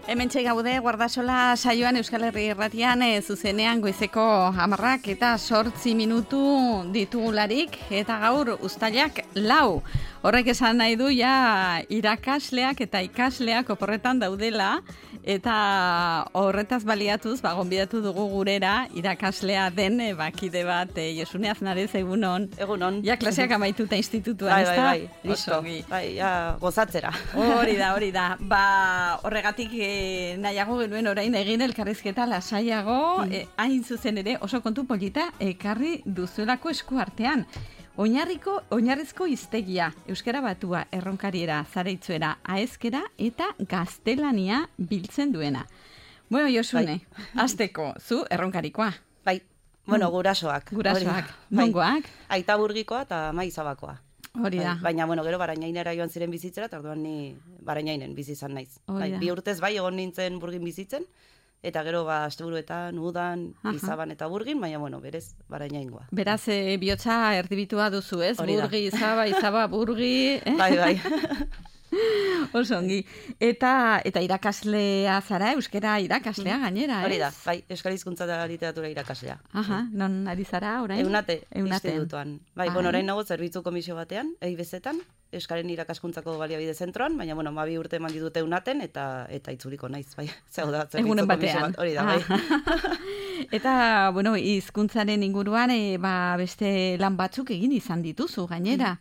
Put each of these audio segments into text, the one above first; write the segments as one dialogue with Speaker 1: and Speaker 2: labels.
Speaker 1: Hementxe gaude Guardasola saioan Euskal Herri Irratian zuzenean goizeko 10 eta 8 minutu ditugularik eta gaur uztailak 4. Horrek esan nahi du ja irakasleak eta ikasleak oporretan daudela eta horretaz baliatuz gonbidatu dugu gurera irakaslea den kide bat Josune Aznarez egunon.
Speaker 2: Egunon.
Speaker 1: Ja klaseak amaituta institutuan, ezta?
Speaker 2: Bai, listo. Bai, ja gozatzera.
Speaker 1: Hori da. Horregatik nahiago genuen orain egin elkarrizketa lasaiago, hain zuzen ere oso kontu polita ekarri duzuelako esku artean. Oinarrizko hiztegia, euskara batua, erronkariera, zareitzuera, aezkera eta gaztelania biltzen duena. Bueno, Josune, hasteko, zu erronkarikoa.
Speaker 2: Bai, bueno, gurasoak.
Speaker 1: Nongoak?
Speaker 2: Aita burgikoa eta maizabakoa.
Speaker 1: Hori da.
Speaker 2: Baina, bueno, gero Barainainera joan ziren bizitzera, eta orduan ni Barainainen bizi izan naiz. Bi urtez egon nintzen Burgin bizitzen, eta gero asteburuetan, udan, Izaban eta Burgin, baina, bueno, berez Barainaingoa.
Speaker 1: Beraz, bihotza erdibitua duzu, ez? Burgi, Izaba, Burgi.
Speaker 2: Bai.
Speaker 1: Oso ongi. Eta irakaslea zara, euskara irakaslea gainera, ez?
Speaker 2: Hori da, bai, euskal hizkuntza eta literatura irakaslea.
Speaker 1: Non ari zara orain?
Speaker 2: Eunate. Institutuan. Bai, orain nago zerbitzu komisio batean, EIBZ-etan, euskaren irakaskuntzako baliabide zentroan, baina, 12 urte eman ditute Eunaten, eta itzuliko naiz, bai.
Speaker 1: Egunen batean.
Speaker 2: Hori da, bai.
Speaker 1: Eta, hizkuntzaren inguruan, beste lan batzuk egin izan dituzu, gainera.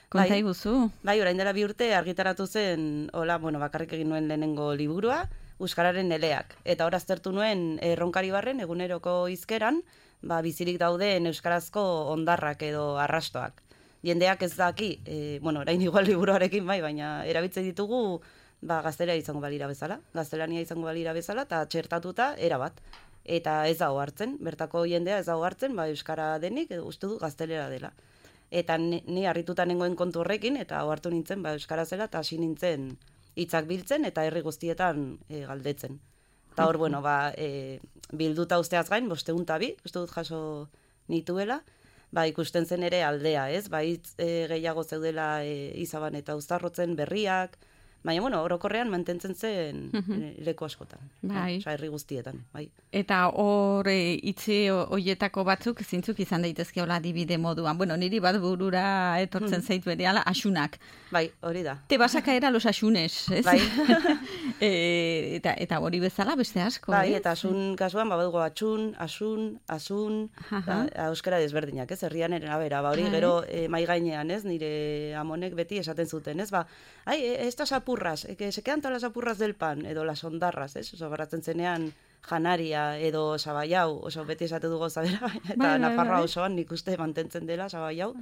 Speaker 1: Konta iguzu.
Speaker 2: Bai, orain dela 2 urte argitaratu zen, bakarrik egin nuen lehenengo liburua, Euskararen eleak. Eta hor aztertu nuen erronkari barren, eguneroko hizkeran, bizirik dauden euskarazko ondarrak edo arrastoak. Jendeak ez daki, orain igual liburuarekin baina erabiltzen ditugu gaztelania izango balira bezala, eta txertatuta erabat. Eta ez dago hartzen, bertako jendea ez dago hartzen, euskara denik, uste du gaztelera dela. Eta ni harrituta nengoen kontu horrekin, eta hartu nintzen euskara zela, eta hasi nintzen hitzak biltzen, eta herri guztietan galdetzen. Eta hor, bilduta usteaz gain, 502, uste dut jaso nituela, ikusten zen ere aldea, ez? Hitz gehiago zeudela Izaban eta Uztarrotzen berriak, baina, orokorrean mantentzen zen leku askotan. Herri guztietan, bai.
Speaker 1: Eta hor hitzi hoietako batzuk zintzuk izan daitezke hola adibide moduan. Niri bat burura etortzen zaitu berehala asunak.
Speaker 2: Bai, hori da.
Speaker 1: Te vas a caer a los asunes, ez?
Speaker 2: Bai.
Speaker 1: Eta hori bezala beste asko,
Speaker 2: bai, eta asun kasuan badugu asun, euskara desberdinak, ez? Herrian arabera, hori gero mai gainean, ez? Nire amonek beti esaten zuten, ez? Estas apurras, que se quedan todas las apurras del pan, edo las ondarras, ez? Baratzen zenean janaria edo sabaiau, oso beti esate dugu zabera, eta Nafarroa osoan nik uste mantentzen dela sabaiau.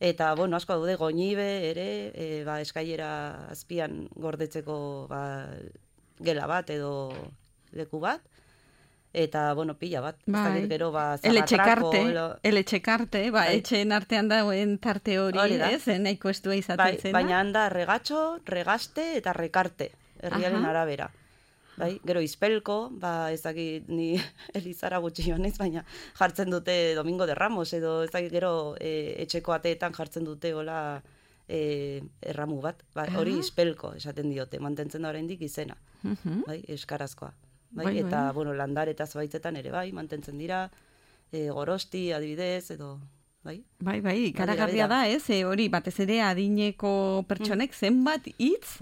Speaker 2: Eta, asko daude goñibe ere, eskailera azpian gordetzeko gela bat edo leku bat. Eta, pila bat. Gero,
Speaker 1: Eletxekarte, etxeen artean dauen tarte hori, ez? Nahiko estua izaten zena.
Speaker 2: Baina handa regatxo, regaste eta rekarte, herriaren arabera. Gero Izpelko, ez dakit ni Elizara gutxi joanez, baina jartzen dute Domingo de Ramos, edo ez dakit gero etxeko ateetan jartzen dute hola erramu bat. Hori Izpelko esaten diote, mantentzen da oraindik izena, euskarazkoa. Eta, landaretaz baitzetan ere mantentzen dira, Gorosti, adibidez, edo,
Speaker 1: Bai, karagarria da, ez? Hori, batez ere adineko pertsonek zenbat hitz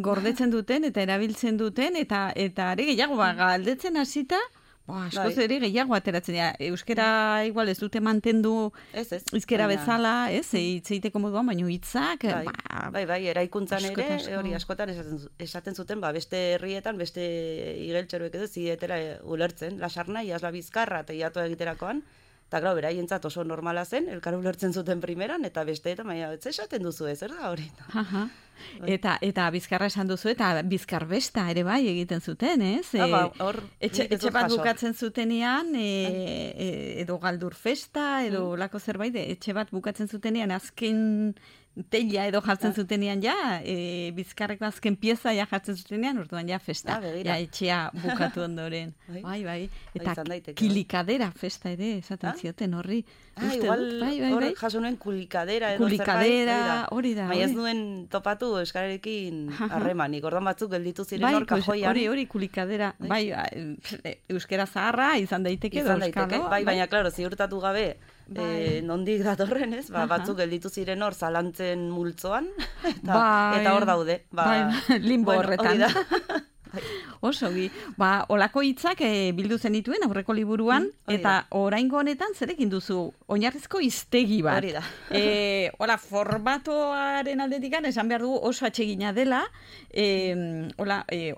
Speaker 1: gordetzen duten eta erabiltzen duten, eta are gehiago, galdetzen hasita, askoz ere gehiago ateratzen dira. Euskera igual ez dute mantendu hizkera bezala, ez? Hitzeiteko moduan, baina hitzak...
Speaker 2: Eraikuntzan ere, hori askotan esaten zuten, beste herrietan, beste igeltxeroek edo zietela ulertzen, lasarna, iazla bizkarra, eta iatu egiterakoan, eta grau, beraientzat oso normala zen, elkar ulertzen zuten primeran, eta besteetan, ez esaten duzu ez, da hori?
Speaker 1: Eta bizkarra esan duzu, eta bizkarbesta ere egiten zuten, ez? Etxe bat bukatzen zutenean, edo galdur festa, edo lako zerbait, etxe bat bukatzen zutenean, azken teila edo jartzen zutenean ja, Bizkarreko azken pieza ja jartzen zutenean, orduan ja festa, ja etxea bukatu ondoren. Bai. Eta kilikadera festa ere, esaten zioten horri.
Speaker 2: Igual hor jaso nuen kulikadera edo zerbait.
Speaker 1: Kulikadera, hori da.
Speaker 2: Baina ez nuen topatu euskararekin harremanik, orduan batzuk gelditu ziren hor kajoian.
Speaker 1: Hori kulikadera, bai, euskara zaharra izan daiteke edo euskalo.
Speaker 2: Bai, baina, klaro, ziurtatu gabe, nondik datorren, ez? Batzuk gelditu ziren hor zalantzen multzoan, eta hor daude.
Speaker 1: Limbo horretan. Osogi. Olako hitzak bildu zenituen aurreko liburuan, eta oraingo honetan zerekin duzu oinarrizko hiztegi bat.
Speaker 2: Hori da.
Speaker 1: Formatoaren aldetik esan behar dugu oso atsegina dela,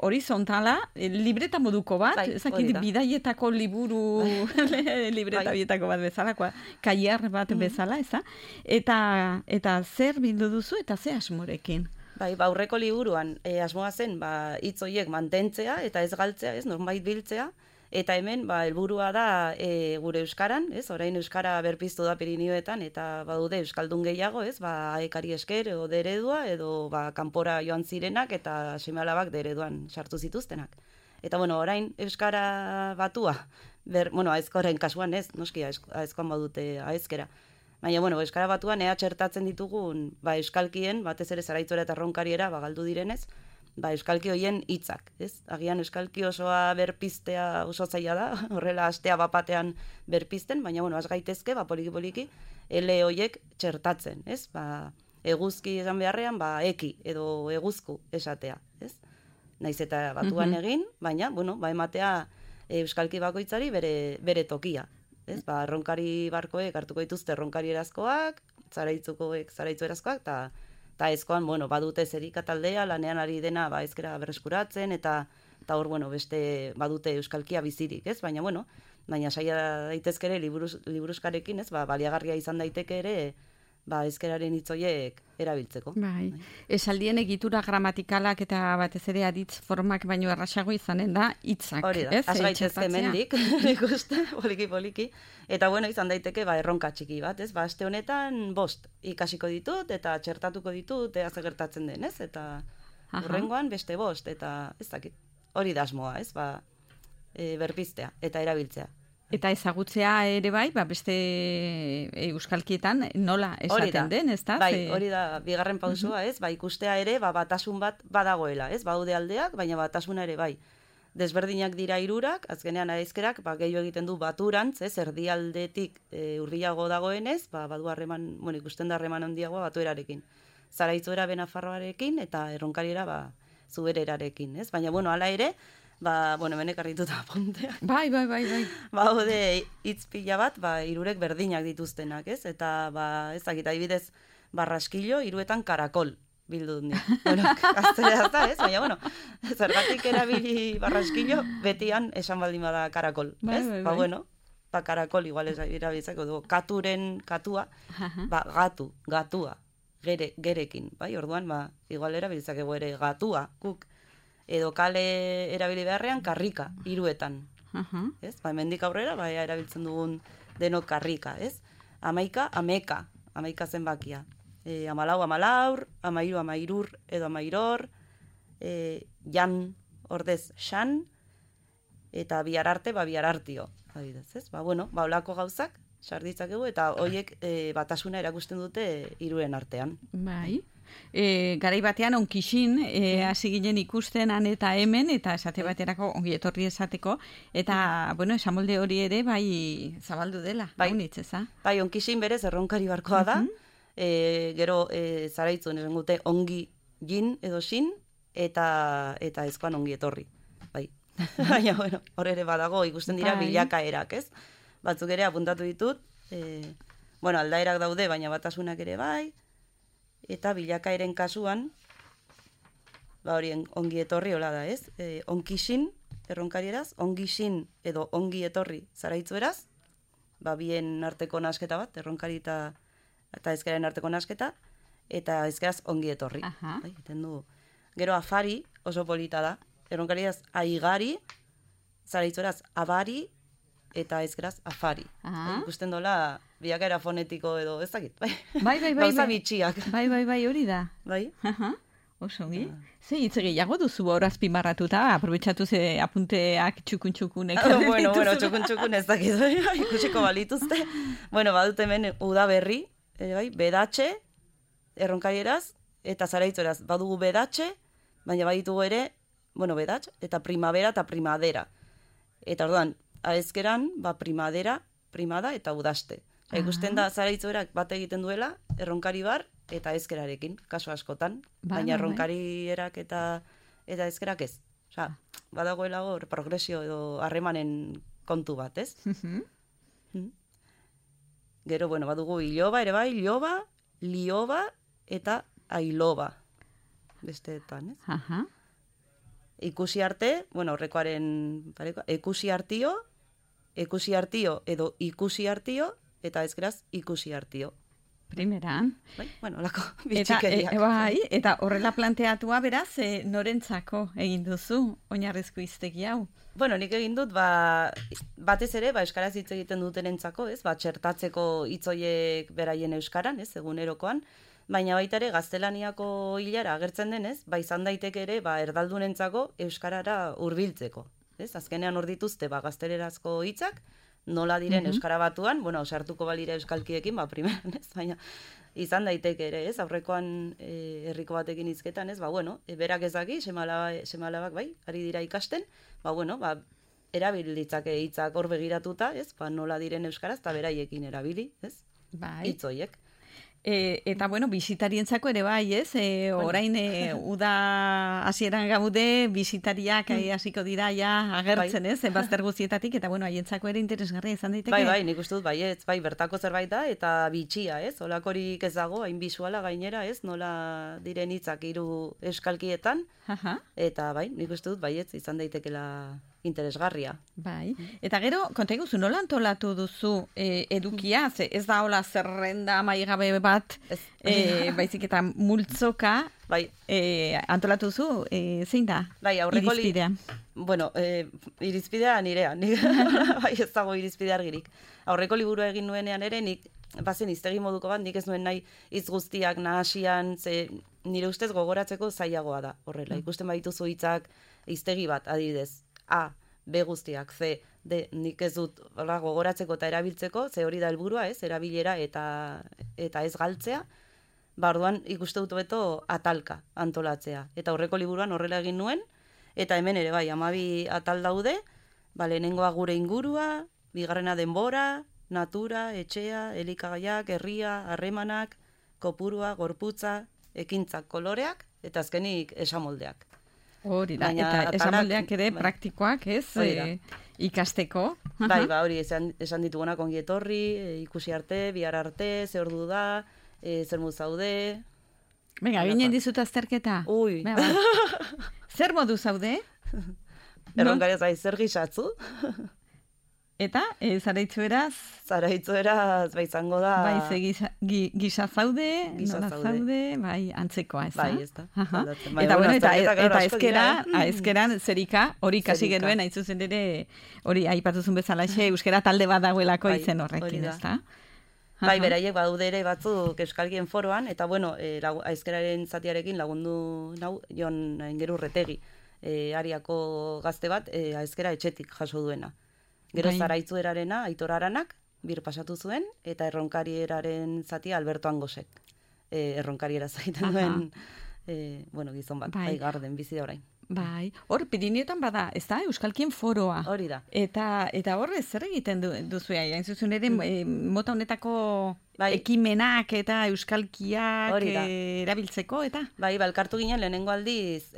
Speaker 1: horizontala, libreta moduko bat, ezakit bidaietako liburu, libreta bietako bat bezala, kaiar bat bezala, eza? Eta zer bildu duzu eta ze asmorekin?
Speaker 2: Aurreko liburuan asmoa zen hitz horiek mantentzea eta ez galtzea, ez, norbait biltzea, eta hemen helburua da gure euskaran, ez, orain euskara berpiztu da Pirinioetan eta badude euskaldun gehiago, ez, aekari esker edo deredua edo kanpora joan zirenak eta seme-alabak dereduan sartu zituztenak. Eta orain euskara batua, aizkoren kasuan ez, noski aizkoan badute aizkera. Baina, euskara batuan ea txertatzen ditugun euskalkien, batez ere Zaraitzora eta Erronkariera galdu direnez, euskalki hoien hitzak, ez? Agian euskalki osoa berpiztea oso zaila da, horrela astea bapatean berpizten, baina, az gaitezke, poliki-poliki, ele hoiek txertatzen, ez? Eguzki esan beharrean, eki edo eguzku esatea, ez? Naiz eta batuan egin, baina, ematea euskalki bakoitzari bere tokia. Ez, erronkari barkoek hartuko dituzte erronkari erazkoak, zaraitzukoek zaraitzu erazkoak, eta ezkoan, badute zerika taldea, lanean ari dena ezkera berreskuratzen, eta hor, beste badute euskalkia bizirik, ez? Baina saia daitezke ere liburuskarekin, ez? Baliagarria izan daiteke ere, ezkeraren hitzoiek erabiltzeko.
Speaker 1: Bai. Esaldien egitura gramatikalak eta batez ere aditz formak baino errasago izanen da hitzak.
Speaker 2: Hori da, az gaitezke mendik, ikuste, poliki-poliki. Eta izan daiteke erronka txiki bat, ez? Aste honetan 5 ikasiko ditut eta txertatuko ditut, ze gertatzen den, ez? Eta hurrengoan beste 5, eta ez dakit. Hori da asmoa, ez? Berpiztea eta erabiltzea.
Speaker 1: Eta ezagutzea ere beste euskalkietan nola esaten den, ez da?
Speaker 2: Hori da, bigarren pausua, ez? Ikustea ere, batasun bat badagoela, ez? Baude aldeak, baina batasuna ere desberdinak dira 3, azkenean aizkerak, gehiago egiten du baturantz, ez? Erdialdetik hurbilago dagoenez, badu harreman, ikusten da harreman handiagoa batuerarekin. Zaraitzuera Benafarroarekin eta Erronkariera Zubererarekin, ez? Baina, hala ere, hemen ekarrituta apunteak.
Speaker 1: Bai.
Speaker 2: Hode hitz pila bat, 3 berdinak dituztenak, ez? Eta, ezakit, adibidez, barraskilo, 3 karakol bildu dut. Gaztelera da, ez? Baina, zergatik erabili barraskilo, betian esan baldin bada karakol, ez? Karakol, igual ez erabiltzako du. Katuren katua, gatua, gerekin, bai? Orduan, igual erabiltzakego ere gatua, kuk. Edo kale erabili beharrean karrika, 3. Ez? Hemendik aurrera, erabiltzen dugun denok karrika, ez? 11, ameka, amaika zenbakia. 14, amalaur, 13, amairur, edo amairor, jan, ordez, xan, eta biararte, biarartio. Ez? Olako gauzak, sarditzakegu, eta horiek batasuna erakusten dute 3 artean.
Speaker 1: Bai. Garai batean onkixin hasi ginen ikusten han eta hemen eta esate baterako ongi etorri esateko eta esamolde hori ere zabaldu dela unitz, eza?
Speaker 2: Bai, onkixin berez Erronkari barkoa da, gero zaraitzuen esan gute ongi jin edo xin eta ezkoan ongi etorri, bai. Baina, hor ere badago ikusten dira bilakaerak, ez? Batzuk ere apuntatu ditut, aldaerak daude, baina batasunak ere bai, eta bilakaeren kasuan, horien ongi etorri hola da, ez? Onkixin, Erronkarieraz, ongixin edo ongi etorri zaraitzueraz, bien arteko nasketa bat, Erronkari eta ezkeraren arteko nasketa, eta ezkeraz ongi etorri. Gero afari oso polita da, Erronkariaz aigari, zaraitzueraz abari, eta ezkeraz afari.
Speaker 1: Ah.
Speaker 2: Ikusten dola, biakera fonetiko edo ezakit, bai.
Speaker 1: Bai.
Speaker 2: Gauza bitxiak.
Speaker 1: Bai, hori da.
Speaker 2: Bai.
Speaker 1: Aha. Oso ongi. Ze hitz gehiago duzu hor azpimarratuta, aprobetxatu ze apunteak txukun-txukunek.
Speaker 2: Bueno, txukun ez dakit, ikusiko balituzte. Bueno, badut hemen udaberri, bai, bedatxe, erronkarieraz, eta zaraitzueraz, badugu bedatxe, baina baditugu ere, bueno, bedatx, eta primavera eta primadera. Eta orduan, aezkeran, primadera, primada eta udaste. Ikusten da zaraitzuerak bat egiten duela, erronkari bar, eta ezkerarekin, kaso askotan, baina erronkarierak eta ezkerak ez. Osa, badagoela hor progresio edo harremanen kontu bat, ez? Gero, bueno, badugu iloba ere bai, iloba, lioba eta ailoba. Besteetan, ez?
Speaker 1: Aha.
Speaker 2: Ikusi arte, bueno, horrekoaren ekusi artio edo ikusi artio, eta ezkeraz ikusi artio.
Speaker 1: Primeran.
Speaker 2: Bai, bueno, lako bitxikeriak.
Speaker 1: Eta horrela planteatua beraz, norentzako egin duzu oinarrizko hiztegi hau?
Speaker 2: Bueno, nik egin dut, batez ere, euskaraz hitz egiten dutenentzako, ez? Txertatzeko hitzoiek beraien euskaran, ez? Egunerokoan. Baina baita ere, gaztelaniako hilara agertzen denez, izan daiteke ere, erdaldunentzako euskarara hurbiltzeko. Ez? Azkenean hor dituzte, gaztelerazko hitzak, nola diren euskara batuan, bueno, sartuko balira euskalkiekin, primeran, ez? Baina izan daiteke ere, ez? Aurrekoan herriko batekin hizketan, ez? Bueno, berak ezaki, semalabak bai, ari dira ikasten, erabilitzake hitzak hor begiratuta, ez? Nola diren euskaraz, eta beraiekin erabili, ez?
Speaker 1: Bai.
Speaker 2: Hitzoiek.
Speaker 1: Eta, bueno, bisitarientzako ere bai, ez? Orain, uda hasieran gaude, bisitariak hasiko dira ja agertzen, ez? Bazter guztietatik, eta, bueno, haientzako ere interesgarria izan daiteke.
Speaker 2: Bai, nik uste dut, ez, bertako zerbait da, eta bitxia, ez? Olakorik ez dago, hain bisuala gainera, ez? Nola diren hitzak hiru euskalkietan, eta, nik uste dut, ez, izan daitekela interesgarria.
Speaker 1: Bai, eta gero, konta iguzu, nola antolatu duzu edukia? Ez da hola zerrenda maigabe bat, baizik eta multzoka antolatu duzu, zein da?
Speaker 2: Bai,
Speaker 1: irizpidea?
Speaker 2: Bueno, irizpidea nirea, ez dago irizpidea argirik. Aurreko liburua egin nuenean ere, nik bazen hiztegi moduko bat, nik ez nuen nahi hitz guztiak nahasian, nire ustez gogoratzeko zailagoa da, horrela. Ikusten badituzu hitzak hiztegi bat, adibidez, A, B guztiak, C, D, nik ez dut gogoratzeko eta erabiltzeko, ze hori da helburua, ez, erabilera eta ez galtzea, orduan ikuste dut beto atalka antolatzea. Eta aurreko liburuan horrela egin nuen, eta hemen ere bai, 12 atal daude, lehenengoa gure ingurua, bigarrena denbora, natura, etxea, elikagaiak, herria, harremanak, kopurua, gorputza, ekintzak, koloreak, eta azkenik esamoldeak.
Speaker 1: Hori da, eta esamoldeak ere praktikoak, ez, ikasteko.
Speaker 2: Bai, hori, esan ditugunak ongi etorri, ikusi arte, bihar arte, ze ordu da, zer modu zaude.
Speaker 1: Venga, ginen dizut azterketa.
Speaker 2: Ui.
Speaker 1: Zer modu zaude?
Speaker 2: Erronkariaz bai, zer gizatzu.
Speaker 1: Eta, zaraitzueraz?
Speaker 2: Zaraitzueraz, izango da...
Speaker 1: Bai, ze gisa zaude, nola zaude, bai, antzekoa, ez da?
Speaker 2: Bai, ez da.
Speaker 1: Eta, bueno, eta ezkeran zerika, hori kasi genuen, hain zuzen ere, hori aipatuzun bezala, euskera talde bat dagoelako izen horrekin, ez da?
Speaker 2: Bai, beraiek badaude ere batzuk euskalkien foroan, eta, bueno, ezkeraren zatiarekin lagundu nau, Jon Aingeru Retegi, Ariako gazte bat, ezkera etxetik jaso duena. Gero zaraitzuerarena, Aitor Aranak, bir pasatu zuen, eta erronkarieraren zatia Alberto Angosek. Erronkariera zaiten duen, gizon bat, garden, bizi da orain.
Speaker 1: Bai, hor, Pirineotan bada, ez da, Euskalkien foroa.
Speaker 2: Hori da.
Speaker 1: Eta hor, zer egiten duzu hain zuzen ere, mota honetako ekimenak eta Euskalkiak erabiltzeko, eta?
Speaker 2: Bai, elkartu ginen lehenengo aldiz,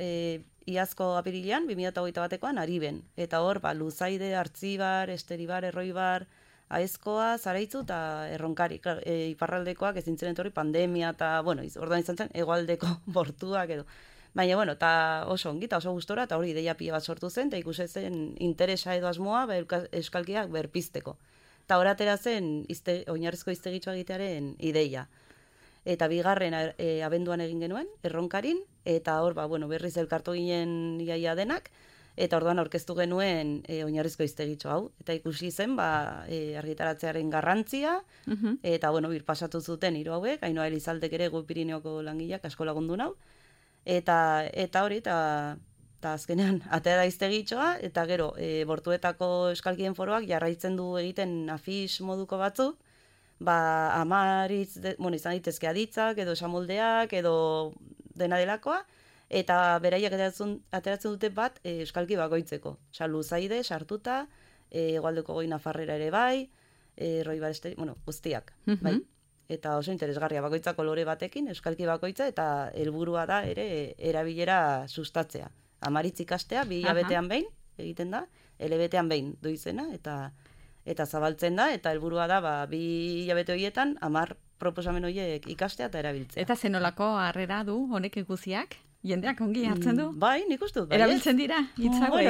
Speaker 2: iazko apirilean, 2008 batekoan, Ariben. Eta hor, Luzaide, Artzibar, Esteribar, Erroibar, Aezkoa, Zaraitzu eta Erronkari. Iparraldekoak ezin zen etorri pandemia eta, orduan izan zen, hegoaldeko bortuak edo. Baina, eta oso ongi, eta oso gustora, eta hori ideia pila bat sortu zen, eta ikusi zen interesa edo asmoa euskalkiak berpizteko. Eta hor atera zen oinarrizko hiztegitxoa egitearen ideia. Eta bigarren abenduan egin genuen, Erronkarin, eta hor, berriz elkartu ginen iaia denak, Eta orduan aurkeztu genuen oinarrizko hiztegitxo hau. Eta ikusi zen, argitaratzearen garrantzia, eta, birpasatu zuten hiru hauek, Ainhoa Elizaldek ere Gu Pirineoko langileak asko lagundu nau. Eta hori, eta azkenean, atera da hiztegitxoa, eta gero, Bortuetako Euskalkien Foroak jarraitzen du egiten afix moduko batzuk, izan daitezke aditzak, edo esamoldeak, edo dena delakoa, eta beraiek ateratzen dute bat euskalki bakoitzeko. Osa, Luzaide, sartuta, Hegoaldeko Goi Nafarrera ere bai, Roi Bareste, guztiak, bai. Eta oso interesgarria bakoitza kolore batekin, euskalki bakoitza, eta helburua da ere erabilera sustatzea. Amaritz ikastea, 2 hilabetean behin, egiten da, elebetean behin du izena, eta zabaltzen da, eta helburua da, 2 hilabete horietan, 10 proposamen horiek ikastea eta erabiltzea.
Speaker 1: Eta zenolako harrera du honek ikusiak? Jendeak ongi hartzen du?
Speaker 2: Bai, nik uste dut,
Speaker 1: Erabiltzen dira, hitzagoek.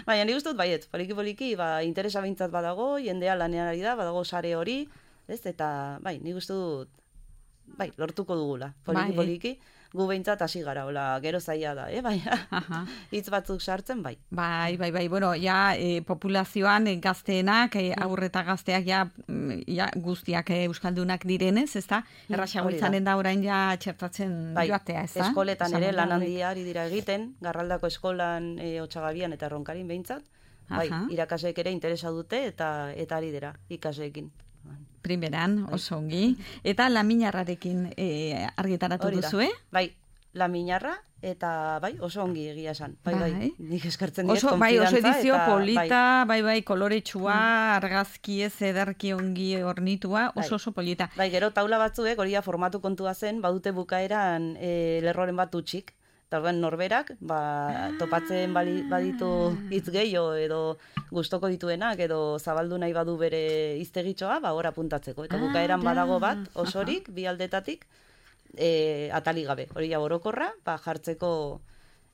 Speaker 2: Baina nik uste dut, baiet, poliki, interesa behintzat badago, jendea lanean ari da, badago sare hori, ez, eta, nik uste dut, lortuko dugula, poliki, gu behintzat hasi gara, gero zaila da, hitz batzuk sartzen, bai.
Speaker 1: Bai, populazioan gazteenak, aurreta gazteak guztiak euskaldunak direnez, ez da? Erraxago izanen da orain txertatzen joatea, ez da?
Speaker 2: Eskoletan ere lan handia ari dira egiten, Garraldako eskolan Otsagabian eta Erronkarin behintzat, irakasleek ere interesa dute eta ari dira ikasleekin.
Speaker 1: Primeran, oso ongi. Eta Laminarrarekin argitaratu duzu,
Speaker 2: Bai, Laminarra, eta oso ongi egia esan. Bai, nik eskartzen diet konfidantza.
Speaker 1: Oso edizio polita, koloretsua, argazki ez ederki ongi ornitua, oso polita.
Speaker 2: Bai, gero taula batzuek, hori formatu kontua zen, badute bukaeran lerroren bat utxik. Eta orduan norberak, topatzen baditu hitz gehiago edo gustoko dituenak edo zabaldu nahi badu bere hiztegitxoa, hor apuntatzeko. Eta bukaeran badago bat, osorik, 2 aldetatik, atalik gabe. Hori orokorra, jartzeko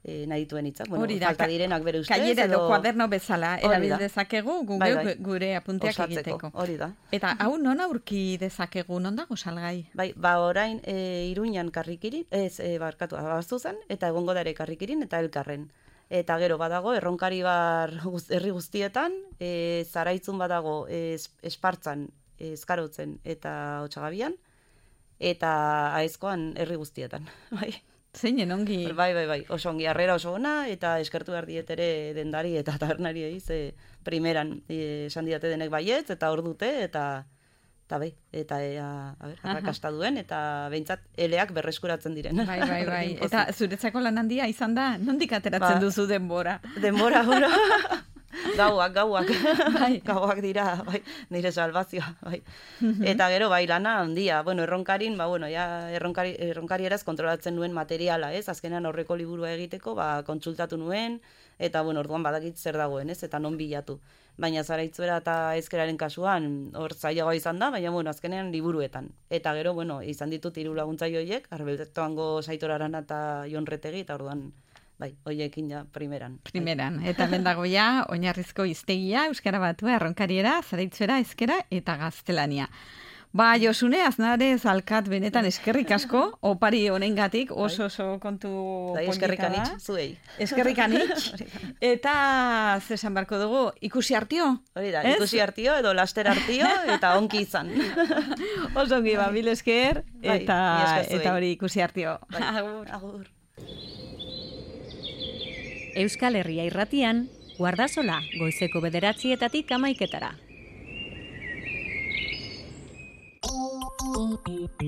Speaker 2: nahi dituen hitzak. Falta direnak bere ustez.
Speaker 1: Kailera edo kuaderno bezala, erabil dezakegu, gure apunteak egiteko.
Speaker 2: Hori da.
Speaker 1: Eta hau non aurki dezakegu, non dago salgai?
Speaker 2: Bai, orain Iruñan Karrikirin, Abastuzan, eta egongo da ere Karrikirin eta Elkarren. Eta gero badago, Erronkaribar herri guztietan, Zaraitzun badago Espartzan, Eskarotzen eta Otsagabian, eta Aezkoan herri guztietan. Bai.
Speaker 1: Zeinen ongi.
Speaker 2: Bai, oso ongi, harrera oso ona, eta eskertu behar diet ere dendari eta tabernari primeran esan didate denek baietz, eta hor dute, eta arrakasta duen, eta behintzat eleak berreskuratzen diren.
Speaker 1: Bai. Eta zuretzako lan handia izan da, nondik ateratzen duzu denbora?
Speaker 2: Denbora, Gauak. Gauak dira, nire salvazioa, Eta gero, lana handia. Erronkarin, erronkari eraz kontrolatzen nuen materiala, ez? Azkenean horreko liburua egiteko, kontsultatu nuen, eta, orduan badakit zer dagoen, ez? Eta non bilatu. Baina Zaraitzuera eta Ezkeraren kasuan, hor zailagoa izan da, baina, azkenean liburuetan. Eta gero, izan ditut 3 laguntzaile horiek, Arbeltoango Saitor Arana eta Jon Retegi, eta orduan, hoiekin primeran.
Speaker 1: Eta bendago oinarrizko hiztegia, Euskara Batua, Erronkariera, Zaraitzuera, Ezkera eta Gaztelania. Josune, Aznarez alkat benetan eskerrik asko, opari honengatik, oso kontu polita da.
Speaker 2: Eskerrik anitz, zuei.
Speaker 1: Eskerrik anitz. Eta zesan barko dugu, ikusi hartio?
Speaker 2: Hori da, ikusi hartio edo laster hartio eta onki izan.
Speaker 1: Oso ongi, mil esker, eta hori ikusi hartio.
Speaker 2: Agur.
Speaker 3: Euskal Herria Irratian, Guardasola, goizeko 9:00 11:00.